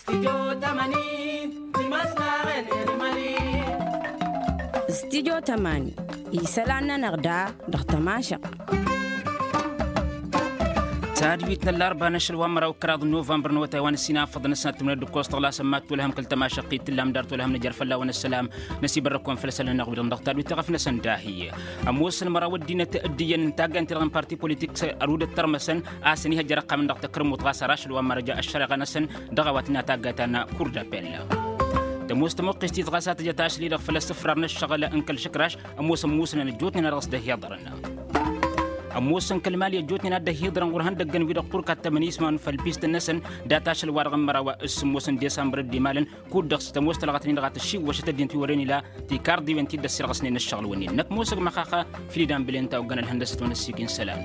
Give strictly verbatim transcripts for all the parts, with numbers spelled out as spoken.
Stidyo tămani. Isălan-nănăɣ da dăɣ-tămašăɣt. Tadwit n-ăllarba n-ašăl wa n-măraw d-kăraḍ n-novămbăr n-awătay wa n-ăssinafăḍăn ăsnat timǝnăd d-ǝkkoẓ tăɣlasăn mad-tolhăm kăl-tămašăɣt-i t-tǝllam dar tolhăm nǝjăr fălla-wen ăssălam. Năsibărrăk-wen făll-isălan-nănăɣ wi-dăɣ dăɣ-tadwit taɣăf-năsăn dahi. Ămoosăn măraw ăddinăt d-iyyăn n-taggayt-ti-dăɣ n-parti politik s-ărudăt tărmăsăn a-s ănihăjjăr ăqqam-nănăɣ takărmut ɣas ar ašăl wa n-mărăja ăššăreɣa-năsăn dăɣ-a-wa tǝnna taggayt ta n-kur d-apel. Tămoos tămuqqist-i-dăɣ ɣas a tǝjăt ašăl-i-dăɣ făll-asǝfrar n-ăššăɣǝl n-kăl-išǝkraš. Ămoosăn musǝnăn ăjjootnen a dăɣ-s dd-ăhiḍărăn. Ămoosăn kăl-mali ăjjootnen a dd-ăhiḍărăn ɣur-ihăndăggăn-wi-dăɣ ɣur-kattămăn ismawăn făll-pist-năsăn dat-ašăl-wa-dăɣ n-măraw s-sǝmmos n-desambăr dd-imalăn. Kud-dăɣ s-tămoos talɣăt-nin-dăɣ a tǝššiwwăšăt ăddinăt wi wăren ila tikarḍiwen ti dd-ăssirɣăsnen ăššăɣǝl-wǝnnin năkk ămoosăg măxaxa. Filidan bǝlen ta oggăn ălhăndăsăt wa n-ăssiik n-isălan.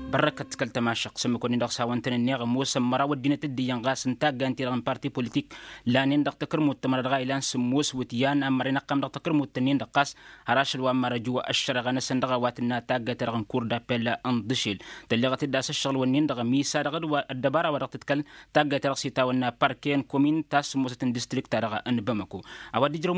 Bărrăkăt kăl-tămašăɣt s-ǝmmǝk-wǝnnin-dăɣ s-hawăn-tăn-ǝnneɣ ămoosăn măraw ăddinăt dd-iyyăn ɣas n-taggayt-ti-dăɣ n-parti politik lanen dăɣ-takărmut tămăra dăɣ-a ilan sǝmmos wǝtyan a n-mărren ăqqam dăɣ-takărmut-tăn-in-dăɣ ɣas har ašăl wa n-mărăju ăššăreɣa-năsăn dăɣ-a-wa tǝnna taggayt-ta-dăɣ n-kur d-apel n-dăšel. Tălleɣăt-dd a-s ăššăɣǝl-wǝnnin-dăɣ misa dăɣ-ăddăbara wa dăɣ-tǝtkăl taggayt-ta-dăɣ s-itawănna parke n-komin ta s-sǝmmosăt n-distrikt-ta-dăɣ n-bamăko. A-wa dd-ijrăw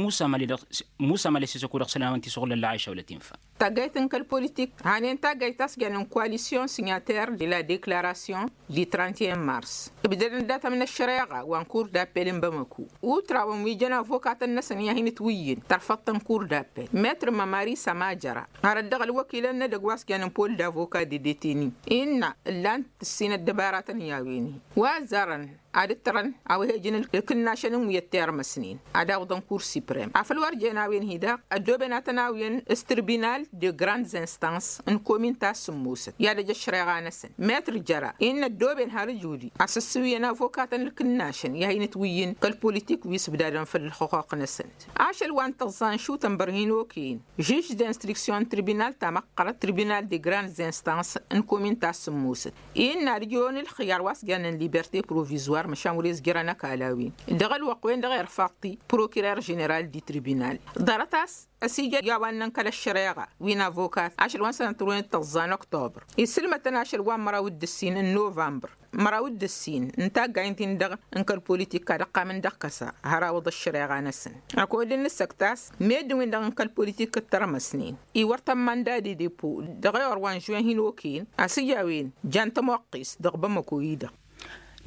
musa mali s-isăku dăɣ-isălan a-wen t-isuɣǝl ălla ašăwlăt infa. Taggayt n-kăl-politik hanen taggayt ta s-jannen koalisyon sinyater de la deklarasyon di trente et un mars. Ǝbdădăn dat-ămnăššăreɣa wa n-kur d-apel n-bamăko. Utrawăn wi jăn avokatăn-năsăn i-ad-hin-ǝtwǝyyǝn tărfăḍt n-kur d-apel metr mămari sămajăra hărăt dăɣ-ălwăkilăn n-edăgg wa s-jannen pol d-avoka dedeteni innă ǝllan-t ǝssin ăddăbaratăn i-a-wen-hi wa ăzzarăn ad-ǝttărăn a-wa he-ǝjǝn ǝlkǝnnašăn n-wi ăttărmăsnen ad-awǝḍăn kur siprem afăl wăr jen a-wen-hi-dăɣ ăddooben ad-tăn-awǝyăn s-tǝrbinal de grandes instances n-komin ta s-sǝmmosăt i-ad-ăj ăššăreɣa-năsăn metr jăra innă ăddooben har ǝjudi a-s ăssǝwǝyăn avokatăn ǝlkǝnnašăn i-ad-hin-ǝtwǝyyǝn kăl-politik wi s-ǝbdadăn făll-ălxuquq-năsăn. Ašăl wa n-tăẓẓa n-išutăn bărhin okăyăn žuž d-instruksyon n-tǝrbinal ta măqqărăt tǝrbinal de grandes instances n-komin ta s-sǝmmosăt innă ad-ǝjrăwăn ǝlxǝyyar wa s-jannen liberte provizwar măšan wăr-e-s jărăn ăkall a-wen dăɣ-ălwăqq-wen-dăɣ irfaḍ-t-i prokirer ženeral di-tǝrbinal. Ḍarăt a-s ăsijăl i-a-wa ǝnnăn kăl-ăššăreɣa wi n-avokat ašăl wa n-sănătărwen d-tăẓẓa n-oktobăr isǝlmătăn ašăl wa n-măraw d-ǝssin n-novămbăr măraw d-ǝssin n-taggayt-in-dăɣ n-kăl-politik ad-ăqqamăn dăɣ-kăsa har awǝḍ ăššăreɣa-năsăn. Ăkodd n-nǝssăkt a-s meddǝn-win-dăɣ n-kăl-politik d-tărmăsnen iwăr tămmanda d-edepo dăɣ-ewăr wa n-žuwen hin-okăyăn a-s ija a-wen jan tămoqqist dăɣ-bamăko-i-dăɣ.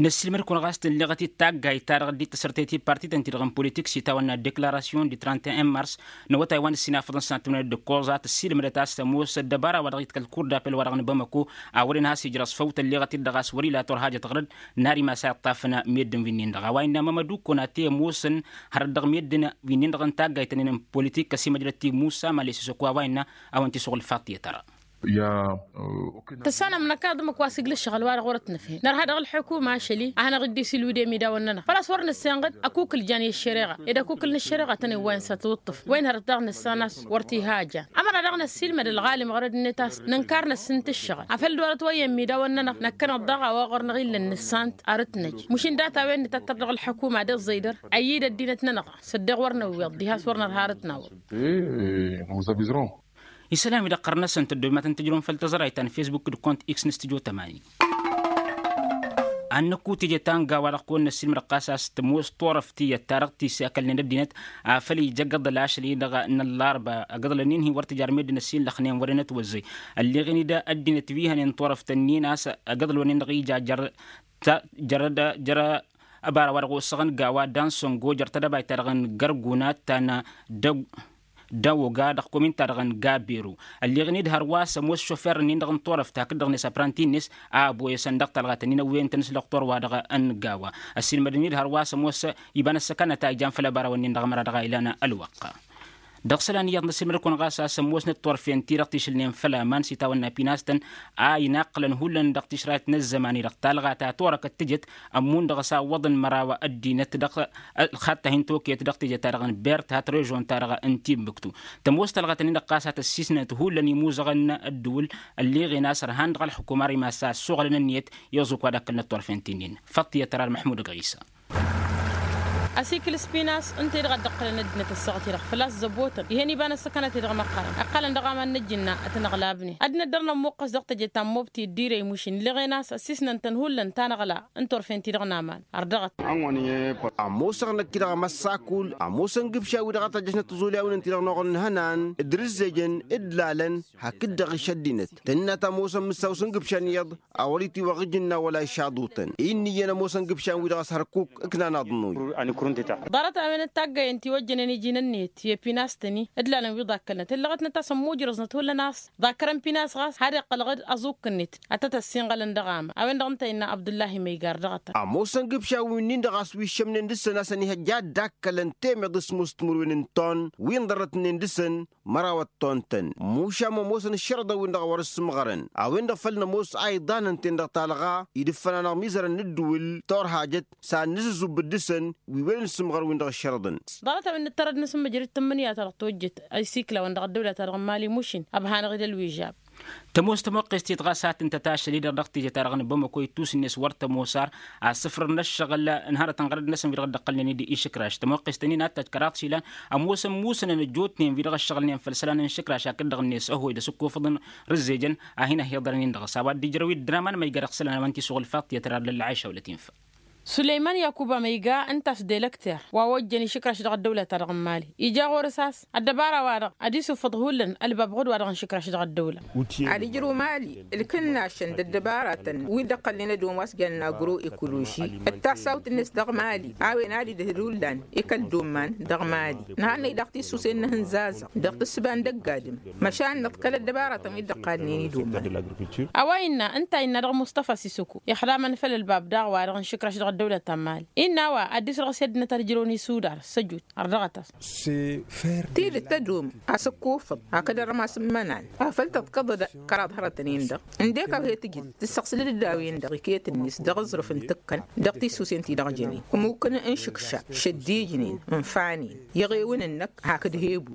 Năssiilmăd-kăwăn ɣas tǝnleɣăt-dd taggayt-ta-dăɣ dd-tăsărtăyăt i-parti-tăn-ti-dăɣ n-politik s-itawănna deklarasyon di trente et un mars n-awătay wa n-ǝssin afăḍăn s-ad-tǝmnăd d-ǝkkoẓ a tăssiilmădăt a-s ămoos ăddăbara wa dăɣ-iḍkăl kur d-apel wa dăɣ-nǝbamăko a wărăn has-ijrăẓ făw tălleɣăt-dd dăɣ-a-s wăr-ila turhajăt ɣărăd n-ar imas a iṭṭafăn meddǝn wi-nin-dăɣ a-wa innă mămădu kăwăn-ati ămoosăn hărăt dăɣ-meddǝn wi-nin-dăɣ n-taggayt-tăn-in n-politik ăsimăjrăt-t i-musa mali s-isăko a-wa innă a-wen t-isuɣǝl faḍt i-tăra. Tăssanăm năkaḍ ǝmmǝk wa s-iglǝššăɣ ălwa-dăɣ wăr-ătnăfhen nărha dăɣ-ălḥukuma ašăl-i ad-hanăɣ-dd-isilwǝd i-amidaw-nănăɣ făl-a-s wăr nǝssenɣăd ăkukǝl jan i-ăššăreɣa ed ăkukǝl n-ăššăreɣa tăn-iwwayăn s-ad-tǝwǝṭṭǝf wa inhărăt daɣ nǝssan a-s wăr t-iha a jan. Ămăra daɣ năssiilmăd ălɣalim ɣărăd-net a-s nǝnkar năssǝnt ǝššăɣǝl afăl dd-orăt wa i-ămmidaw-nănăɣ năkkăneḍ daɣ a-wa ɣur-năɣ illăn nǝssant arǝt-năj mušin data-wen nǝtattăr dăɣ-ălḥukuma d-ăẓẓăydăr ăyyid ăddinăt-nănăɣ s-ăddeɣ wăr năwweḍ diha a-s wăr nărha arǝt-nawăḍ. Isălan-wi-dăɣ ɣur-năsăn tăddomat n-tǝjrǝwăn făll-tăẓrayt ta n-fesbuk d-kont x n-studyo tămani. Ad-năkku teje ta n-gawa-dăɣ kăwăn-năssiilmăd ɣas a-s tămoos turăft tiyyăt ta dăɣ-t-isakălnen ăddinăt afăl ija agǝḍăl ašăl-i-dăɣ n-ăllarba agǝḍălăn-in-hi wăr tǝjar meddǝn ăssiinlăxnen wăren ătwăzzăy. Ălleɣen-dd ăddinăt wi hănen turăft-ǝnnin a-s agǝḍălăn-in-dăɣ ija jăr-ăbara wa dăɣ-osăɣăn gawa dansăngo jăr-tedăbayt-ta-dăɣ n-gărgunat ta n-dăg-dăwoga dăɣ-komin-ta-dăɣ n-gaberu. Ălleɣen-dd hărwa s-ămoos šofer-nin-dăɣ n-turăft hakd-dăɣ-net apranti-net a ăboyăsăn dăɣ-talɣat-nin ăwweyăn-tăn s-lăqtor-wa-dăɣ n-gawa. Ăssiilmădăn-dd hărwa s-ămoos iba n-ăssăkanăt a ijan făll-ăbara-wăn-nin-dăɣ ămăra dăɣ-a ilan ălwăqq. Dăɣ-isălan iyyăḍ n-ăssiilmăd-kăwăn ɣas a-s ămoosnăt turfen-ti-dăɣ tišǝlnen făll-aman s-itawănna pinastăn a inaqqǝlăn hullan dăɣ-tišrayt n-ăzzăman-i-dăɣ talɣa ta turăkăt tǝjǝt ămmun dăɣ-s a ǝwwăḍăn măraw ăddinăt dăɣ-ălxaḍt ta hin-tokăyăt dăɣ-teje-ta-dăɣ n-bert hat režon-ta-dăɣ n-timbuktu. Tămoos talɣăt-nin-dăɣ ɣas a tăssisnăt hullan imuzăɣăn n-ăddǝwǝl ălleɣen a-s ărhan dăɣ-ălxǝkum ar imas a ăssuɣălăn ǝnniyăt i-ăẓuk wa d-akkălnăt turfen-ti-nin. Făṭṭ i-ătrar măḥmud ăgɣisa. Asikǝl s-pinas ǝnta-i-dăɣ a dd-ǝqqǝlăn ăddinăt ăssaɣăt-i-dăɣ făl-a-s zăbotăn ihăn iba n-ăssăkanăt-i-dăɣ măqqărăn ǝqqălăn dăɣ-aman n-ǝjjǝnna ad-tăn-ăɣlabnen ad-năddărnăm muqqăs dăɣ-teje ta n-mobti d-irey mušin ǝlleɣen a-s ăssisnăn-tăn hullan ta n-aɣla n-turfen-ti-dăɣ n-aman. Ărdăɣăt. Ămoosăɣ năkk-i-dăɣ amăssakul ămoosăn gǝbša-wi-dăɣ a tajjăšnăt tiẓulyawen-ǝnta-i-dăɣ n-oɣălăn ihănan d-rǝzzejăn d-lalăn hakd-dăɣ išăddinăt tănna ta ămoosăn mǝssaw s-ǝngǝbšan iyyăḍ a wăr-itiwăɣ ǝjǝnna wăla išaḍutăn. Innă iyyăn ămoosăn gǝbšan-wi-dăɣ a-s hărkuk ǝknan aḍnuy. Ḍarăt-a-wen d-taggayăn tiwăjjănen iji n-ǝnniyăt i-pinastăn-i d-lalăn wi ḍakkălnăt ǝllăɣătnăt a-s ămmujrăẓnăt hullan a-s ḍakkărăn pinas ɣas har iqqălăɣ-dd aẓukk-net ad-tăt-ăssinɣălăn dăɣ-ama a-wen-dăɣ ǝnta innă abdullahi măygar dăɣ-tăn. Ămoosăn gǝbšawen-nin-dăɣ a-s wi ǝššămnen dăɣ-săn a-s ăniihăjja ad-dd-akkălăn temeḍ s-must timǝrwen n-ton wi ǝnḍărrătnen dăɣ-săn măraw ătton-tăn mušam ămoosăn ǝššărăḍăn-win-dăɣ a wăr-ǝssǝmɣărăn a-wen-dăɣ făl nămoos a iḍanăn-ten-dăɣ talɣa idǝffăn-anăɣ imizărăn n-ǝddǝwǝl torhajăt s-ad-nǝzǝzzub dd-săn wi wăren ǝssǝmɣăr-win-dăɣ ǝššărăḍăn. Ḍarăt-a-wen n-ǝttărăd n-asǝmmǝjrǝd tǝmmǝnǝya-ta-dăɣ tojjăt a isikla-wăn dăɣ-ăddăwla-ta-dăɣ n-mali mušin ăbhanăɣ-dd ălwižab. Tămoos tămoqqest-i-dăɣ a-s ad-tǝntăt ašăl-i-dăɣ dăɣ-teje-ta-dăɣ n-bamăko ittus-net wăr tămoos ar asǝfrăr n-ăššăɣǝl n-hărătăn ɣărăd-năsăn wi-dăɣ dd-ăqqălnen-dd išǝkraš tămoqqest-ǝnnin ad-tajj kăraḍ išilan ămoosăn musănăn ăjjootnen wi-dăɣ ăššăɣǝlnen făll-isălan n-išǝkraš hakd-dăɣ-net ăhoy d-asǝkkofăḍăn rǝzzejăn a hin-ăhiḍărăn-in dăɣ-s a-wa dd-ijrăw-dd dăr-aman ma ija dăɣ-isălan a-wen t-isuɣǝl faḍt i-ad-tărar lălla ɛiša wăla tinfa. Sulăyman yakuba ma iga ǝnta a-s d-elăkter wa ojjăn išǝkraš dăɣ-ăddăwla-ta-dăɣ n-mali ija ɣur-s a-s ăddăbara-wa-dăɣ ad-isufăḍ hullan ălbab ɣud-wa-dăɣ n-išǝkraš dăɣ-ăddăwla. Ad-ijrǝw mali ǝlkǝnnašăn d-ăddăbaratăn wi dd-ăqqălnen ad-omas jannen agro-ekoloži d-tasawt-net dăɣ-mali a-wen ad-idhǝl ullan i-kăl-dd-umman dăɣ-mali. Nǝhannăy daɣ tisusen n-ehǝnzazăɣ dăɣ-tǝssǝba n-dăgg-adǝm măšan nǝḍkăl ăddăbaratăn wi dd-ăqqalnen i-dd-umman. A-wa innă ǝnta a innă dăɣ-mustafa sisoko ixdamăn făll-ălbab daɣ wa-dăɣ n-išǝkraš dăɣ-ăddăwlăt ta n-mali innă a-wa ad-dd-isrăɣ s-i ăddinăt ad-ǝjrăwăn isudar s-ăjut ărdăɣăt-as. Tidǝt tădum asǝkkufăḍ hakd ărrămas n-imănan afăl tăḍkăḍăd kăraḍ hărătăn-in-dăɣ ǝndek a-wa he-tǝjǝd tǝssăɣsǝlăd-dd a-wen-dăɣ iket-net dăɣ-aẓrǝf n-tǝkkăn dăɣ-tisusen ti-dăɣ jănen ǝmmukăn n-išǝkša šăddijnen ǝnfanen iɣewăn-năk hakd hebu.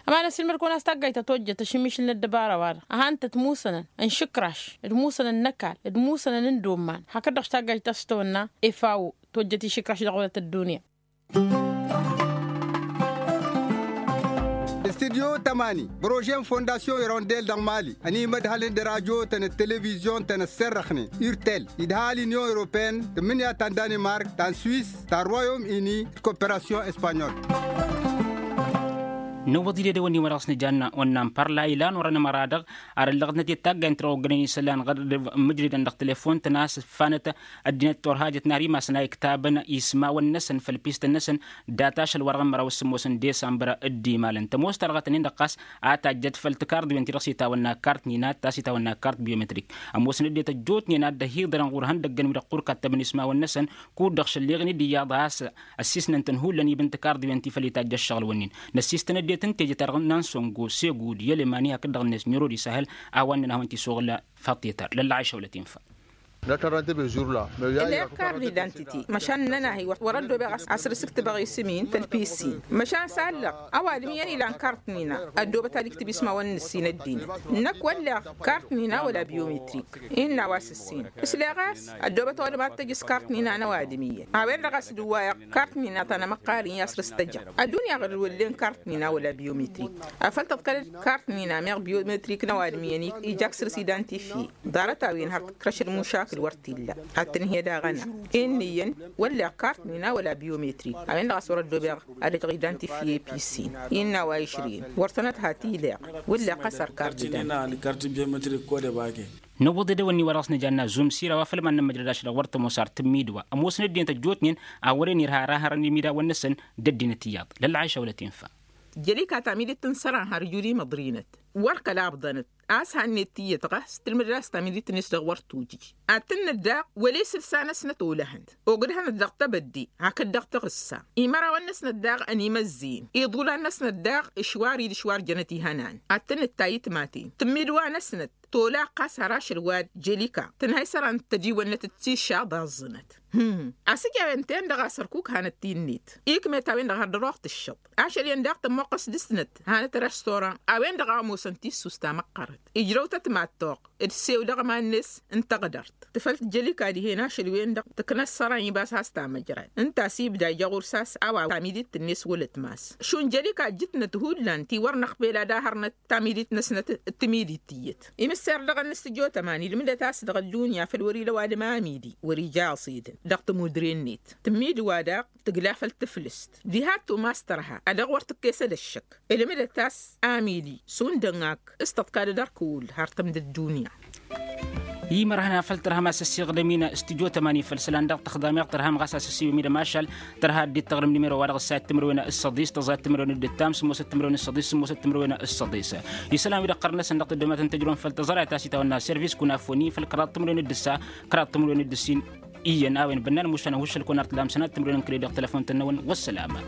Ămanăs ilmăd-kăwăn a-s taggayt ta tojjăt ašǝmmišǝl n-ăddăbara-wa-dăɣ ad-han-tăt musănăn n-išǝkraš d-musănăn n-ăkall d-musănăn n-dd-umman hakd-dăɣ s-taggayt ta s-tăwănna efao tojjăt išǝkraš dăɣ-wălăt ăddunya. Studyo tămani bărožen fondasyon irondel dăɣ-mali ănimădhălăn d-rajotăn d-televizyon-tăn ăssărrăxnen urtel idhal inyon europeen tǝmmǝnǝya ta n-danimark ta n-swis ta n-royom ini d-koperasyon espanyol. Nǝwwăḍ-dd edăwănnin wa dăɣ-s nǝjanna wănnan părla ilan orăn ămăra-dăɣ ar ǝllăɣătnăt i-taggayăn-t-dăɣ oggănen isălan ɣărăd mǝjridăn dăɣ-telefon-tăn a-s ǝffanăt ăddinăt turhajăt n-ar imasăn a iktabăn ismawăn-năsăn făll-pistăn-năsăn dat-ašăl wa-dăɣ n-măraw s-sǝmmos n-desambăr. Dd-imalăn tămoos talɣăt-nin-dăɣ ɣas a tajjăt făll-tikard wi-ănti dăɣ-s itawănna kart n-inat ta s-itawănna kart biometrik. Ămoosăn ăddinăt ăjjootnen ad-dd-ăhiḍărăn ɣur-ihăndăggăn wi-dăɣ ɣur-kattăbăn ismawăn-năsăn kud-dăɣ šălleɣ-in-dd iyyăḍ a-s ăssisnăn-tăn hullan iba n-tikard wi-ănti făll-itajj ăššăɣǝl-wǝnnin. Năssistăn ăddinăt n-teje-ta-dăɣ n-ansongo segud i-elemani hakd-dăɣ-net ɲurod isăhăl a-wa ǝnnăn a hawăn-t-isuɣǝl. Faḍt i-tar lălla ašăwlăt infa. Ǝlleɣ kard idantiti măšan ǝnnăn-ahi wăr ăddoobeɣ a-s rǝsǝktǝbăɣ isǝm-in făll-pisin măšan s-allăɣ ăwadǝm iyyăn ilan kart-nina ăddoobăt ad-iktǝb ismawăn n-ǝssin ăddinăt. Năkk wălleɣ kart-nina wăla biometrik innă a-wa s-ǝssin ǝsleɣ a-s ăddoobăt ăwadǝm ad-tăjj s-kart-nina n-ăwadǝm iyyăn a-wen-dăɣ a-s dd-ǝwwayăɣ kart-nina ta n-amăqqar-in i-asrǝstăjăɣ. Ăddunya ɣǝr-dd wăllen kart-nina wăla biometrik afăl tăḍkăl-dd kart-nina meɣ biometrik n-ăwadǝm iyyăn ija aksǝr s-idantifye. Ḍarăt-a-wen har tǝkrăšăd mušakǝl wăr t-illa ad-tǝnhǝyăd aɣăna. Inn'-iyyăn wălleɣ kart-nina wăla biometrik a-wen-dăɣ a-s wăr-ăddoobeɣ ad-ăjăɣ idantifye i-pisin. Innă a-wa išrǝyăn wăr tănăt ha t-ileɣ wălleɣ ɣas har kart-idantifye. Năwwăḍ edăwănni wa dăɣ-s nǝjanna zumsir a-wa făl iman n-ămmăjrăd ašăl wăr tămoos ar tǝmmidwa ămoosăn ăddinăt ăjjootnen a wăren irha ar a hărăn imidawăn-năsăn d-ăddinăt iyyăḍ. Lălla ašăwlăt infa. Jelika ta midit tǝnsăran har juri măḍrinăt wăr kăla ǝbḍănăt a-s hannăyăt tiyyăt ɣas tǝlmǝdăd a-s ta midit-net dăɣ-wăr tujǝj. Ad-tǝnnăt daɣ wăla isǝlsa-năsnăt olăhăn ogdăhnăt dăɣ-tebădde hakd dăɣ-taɣǝssa. Imărawăn-năsnăt daɣ ănimăzzin iḍulan-năsnăt daɣ ǝšwar-dd ǝšwar jănăt ihănan. Ad-tǝnnǝt ta itmaten tǝmmidwa-năsnăt tolaɣ ɣas har ašăl wa jelika tǝnhăy isăran d-tădiwănnăt d-tišaḍ aẓẓǝnăt. Asǝj a-wen-ten-dăɣ a-s ărkuk hanăt-t-in-net ikmet a-wen-dăɣ har dăr-oɣ tǝššăḍ. Ašăl-en daɣ tămmoqqăs dăr-snăt hanăt-răstoran a-wen-dăɣ a ămoosăn tissus ta măqqărăt ijrăw-tăt mad-toɣ d-sew dăɣ-iman-net n-tăɣdărt. Tǝfăl tǝjjăl ikaḍ dihen ašăl-wen-dăɣ tǝknăs săra n-ibas has-tamăjrayt ǝnta a-s ibda ijăɣur s-a-s a-wa tamidit-net wălăt mass šund jăl ikaḍ jǝtnăt hullan ti wăr năɣpel ad-ahărnăt tamidit-năsnăt d-timidit tiyyăt. Imǝsser dăɣ-ănnăstǝjot ăman ilmǝdăt a-s dăɣ-ăddunya făl wăr-ila ăwadǝm amidi wăr-ija aẓidăn dăɣ-tămudre-net tǝmmid wa daɣ tǝgla făll-tǝflǝst diha ăttumas tărha ad-dăɣ wăr tǝkkesăd ăššăk. Ilmǝdăt a-s amidi šund ănn-ak s-tăḍkadăd ărkǝwǝl har tǝmdăt dunya. Imărhăn a făl tărhăm a-s ăssiɣdăm-in s-tijot ămani făll-isălan dăɣ-tăxḍameɣ tărhăm ɣas a-s ăsiwǝm-i d-ămašal. Tărha ăddinăt taɣrǝm nimero-wa-dăɣ ǝssayăt timǝrwen s-săḍis tăẓayăt timǝrwen d-ǝttam sǝmmosăt timǝrwen s-săḍis sǝmmosăt timǝrwen s-săḍis. Isălan-wi-dăɣ ɣărnăsăn dăɣ-tăddomatăn tăjrăwăn făll-tăẓrayt a-s itawănna servis kunafoni făll-kăraḍ timǝrwen d-ǝssa kăraḍ timǝrwen d-ǝssin. Iyyăn a-wen bănnan mušan ăhuššăl-kăwăn ar tǝdamsăn ad-timǝrwen n-kredăɣ telăfon-tăn-năwăn wăssălamăn.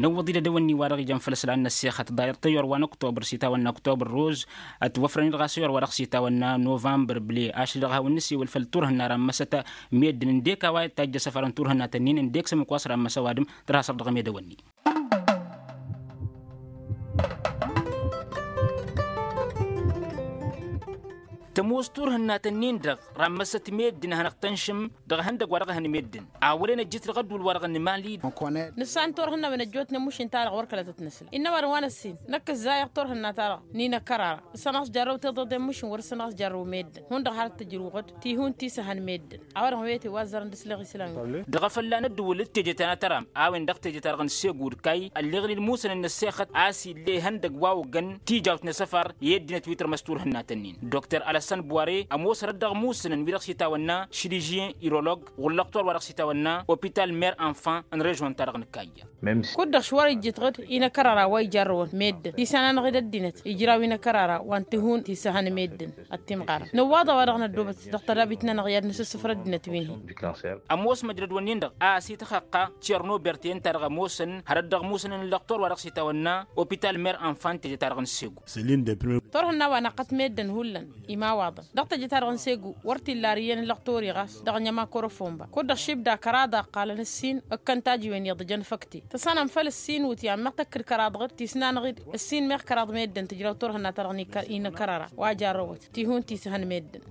Năwwăḍ-dd edăwănni-wa-dăɣ ijăn făll-isălan n-ăssexăt ḍayăr tăyyor wa n-oktobăr s-itawănna oktobăr roz. Ătwăfrăn-dd ɣas ăyyor wa dăɣ-s itawănna novămbăr ble ašăl-dăɣ a hawăn-nǝsiwǝl făll-turhǝnna rammăsăt meddǝn ǝndek a-wa tajj asăfar n-turhǝnna tănnin ǝndek s-ămǝk wa s-rammăs ăwadǝm. Tărha săr dăɣ-emedăwănni. Tămoos turhǝnna tănnin-dăɣ rammăsăt meddǝn a hanăɣ-tănšǝm dăɣ-ihăndăgg wa dăɣ-ehăn meddǝn a wăren ăjjǝt dăɣ-ădduul wa dăɣ-nǝmali. Nǝssan turhǝnna a-wen ăjjootnen mušǝn-ta-dăɣ wăr kăla tăt-nǝsla innă ăwadǝm wa n-ăssin năkk ǝzzayăɣ turhǝnna-ta-dăɣ n-inăkkărara. Ǝssănăɣ-s jarrăw tiḍeḍen mušǝn wăr ǝssănăɣ-s jarrăw meddǝn hundăɣ har tǝjrǝwɣăd tihun ti s-ehăn meddǝn. A-wa-dăɣ n-wete wa ăzzărăn d-isleɣ islan-wi. Dăɣ-afălla n-ăddǝwǝl d-teje ta n-atăram a-wen dăɣ-teje-ta-dăɣ n-segud kayy ălleɣ-in ilmusăn n-ăssexăt a-s ill'-e ihăndăgg wa oggăn tijawt n-asăfar i-ăddinăt wi tărmăs turhǝnna tănnin. Dokter alăssăn buware ămoos hărăt dăɣ-imusǝnăn wi-dăɣ s-itawănna šiližyen irolog ɣur-lăqtor wa dăɣ-s itawănna opital mer enfant n-režon-ta-dăɣ n-kayy. Kud-dăɣ š-wăr-ijjǝtɣǝd inăkărăra wa ijarrăwăn meddǝn ti s-ananăɣ-dd ăddinăt ijraw inăkărăra wa n-tihun ti s-ehăn meddǝn. Ăttimɣarăn nǝwwaḍ a-wa-dăɣ năddobăt dăɣ-tădabit-nănăɣ i-ad-nǝsǝssǝfrăd ăddinăt wi n-hi. Ămoos măjrăd-wǝnnin-dăɣ a-s ităxăqqa cerno berte ǝnta-dăɣ ămoosăn hărăt dăɣ-imusǝnăn n-lăqtor wa dăɣ-s itawănna opital mer enfant teje-ta-dăɣ n-segu. Turhǝnna wa năqqăt meddǝn hullan imawaḍăn dăɣ-teje-ta-dăɣ n-segu wăr t-illa ar iyyăn n-lăqtor-i ɣas dăɣ-ănjăma korofomba kud-dăɣ šibda kăraḍ a ǝqqalăn ǝssin ǝkkăn tajiwen iyyăḍ jăn făkte tăsanăm făll-ǝssin wǝtyan măɣ tăkk d-kăraḍăɣ-dd ti s-nanăɣ-dd ǝssin meɣ kăraḍ meddǝn tǝjraw turhǝnna-ta-dăɣ n-inăkărăra wa jarrăwăt tihun ti s-ehăn meddǝn.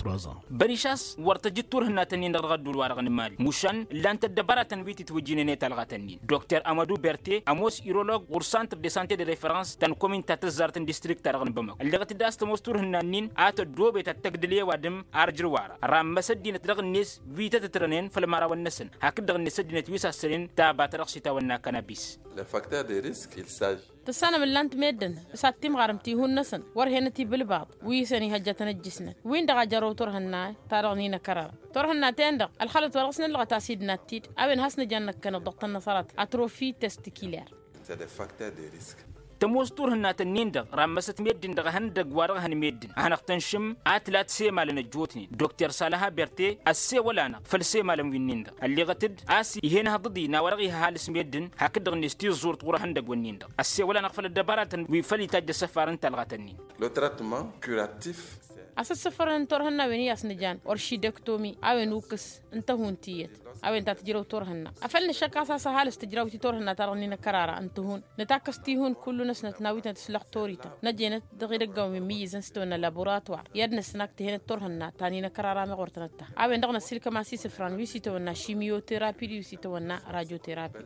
Bărišas wăr tăjǝd turhǝnna-tăn-in-dăɣ dăɣ-ădduul-wa-dăɣ n-imali mušan ǝllan-t ăddăbaratăn wi tǝtwǝjjǝynen i-talɣa-tăn-in dokter amădu berte ămoos irolog ɣur-santr de sante de referăns ta n-komin ta tǝzzart n-distrikt-ta-dăɣ n-bamăko ălleɣăt-dd a-s tămoos turhǝnna-nin a tăddoobet ad-tăgdǝl i-ăwadǝm ar jǝrwara rammăs ăddinăt dăɣ-net wi tăt-ǝtrănen făll-imărawăn-năsăn hakd-dăɣ-net ăddinăt wi sassănen taba ta dăɣ-s itawănna kanabis. Tăssanăm ǝllan-t meddǝn s-ad-timɣarăm tihun-năsăn wăr henăt ibǝlbaḍ wi isăn ihăjjătăn ăjjǝsnăt win-dăɣ a jărrăw turhǝnna-i-ta-dăɣ n-inăkărara. Turhǝnna-ten-dăɣ ălxălăt wa dăɣ-s nǝllăɣăt a-s idnat-t-dd a-wen has-nǝjan năkkăneḍ dăɣ-tănnăṣărat atrofi testikiler. Tămoos turhǝnna-tăn-in-dăɣ rammăsăt meddǝn dăɣ-ehăndăgg wa dăɣ-ehăn meddǝn a hanăɣ-tănšǝm a tǝla tisemalăn ăjjootnen dokter salăha berte ăssewăl-anăɣ făll-isemalăn wi-nin-dăɣ ălleɣăt-dd a-s ih'-en ehăḍăḍ-in a-wa dăɣ-iha ăhalǝs meddǝn hakd-dăɣ-net tiẓẓurt ɣur-ehăndăgg-wǝnnin-dăɣ ăssewăl-anăɣ făll-ăddăbaratăn wi făl itajj ăssăfar n-talɣa-tăn-in. Asǝssǝfărăn n-turhǝnna a-wen i-asnǝjan oršidektomi a-wen ukkǝs n-tăhunt tiyyăt a-wen ta tǝjrăw turhǝnna. Afăl nǝššăk a-s a-s ăhalǝs tǝjrawt i-turhǝnna-ta-dăɣ n-inăkărara n-tǝhun nǝtakkăs tihun kullu-năsnăt n-awitnăt s-lăxtorităn năjenăt dăɣ-idăggawen wi n-imǝyyǝzăn s-tawănna laboratwar i-ad-nǝsnăk tǝhenăt turhǝnna ta n-inăkărara meɣ wăr tăn-ăttăh. A-wen-dăɣ năssiilkăm a-s isǝfran wi s-itawănna šimiyoterapi d-wi s-itawănna rajoterapi.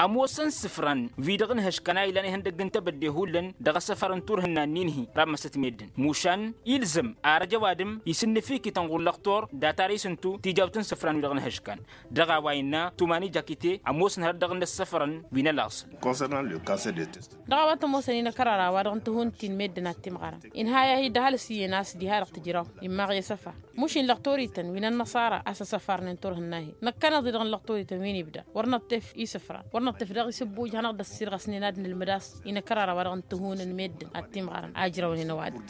Ămoosăn isǝfran wi-dăɣ n-ehăškan a ilan ihăndăgg n-tebădde hullan dăɣ-asăfar n-turhǝnna-nin-hi rammăsăt meddǝn mušan ilzăm arăj ăwadǝm isǝnnǝfikităn ɣur-lăxtor data-dăɣ isǝntu tijawt n-isǝfran wi-dăɣ n-ehăškan. Dăɣ-a-wa innă tumani jakite ămoosăn hărăt dăɣ-inăssăfărăn wi n-ălaẓǝl. Dăɣ-a-wa t-ămoosăn inăkărara wa dăɣ-n tǝhun ti n-meddǝn ad-timɣarăn inhăy-ahi d-ăhalǝs iyyăn a-s diha-dăɣ tǝjraw immaɣ i-asăfar. Mušin lăqtorităn wi n-ănnăṣara a-s ăsăfarnen turhǝnna-hi năkkăneḍ-i-dăɣ n-lăqtorităn wi n-ibda wăr năṭṭef isǝfran wăr năṭṭef daɣ isǝbbuj hanăɣ-dd-ăssirɣăsnen ad-nǝlmǝd a-s inăkărara wa dăɣ-n tǝhun n-meddǝn ad-timɣarăn a ǝjrăwnen ăwadǝm.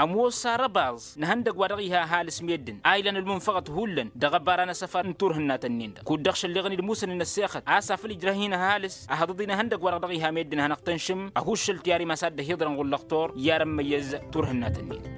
Ămoos arăbaẓ n-ihăndăgg wa dăɣ-iha ăhalǝs meddǝn a ilan ălmunfăɣăt hullan dăɣ-ăbara n-asăfar n-turhǝnnat-nin-dăɣ kud-dăɣ šălleɣăn-dd musăn n-ăssexăt a-s afăl ijrăh-in ăhalǝs ăhăḍăḍ-in ihăndăgg wa-dăɣ dăɣ-iha meddǝn a hanăɣ-tăn-šǝm ăhuššăl tiyyar imas ad-dd-ăhiḍrăn ɣur-lăxtor i-ad-ămmăyyăz turhǝnnat-nin.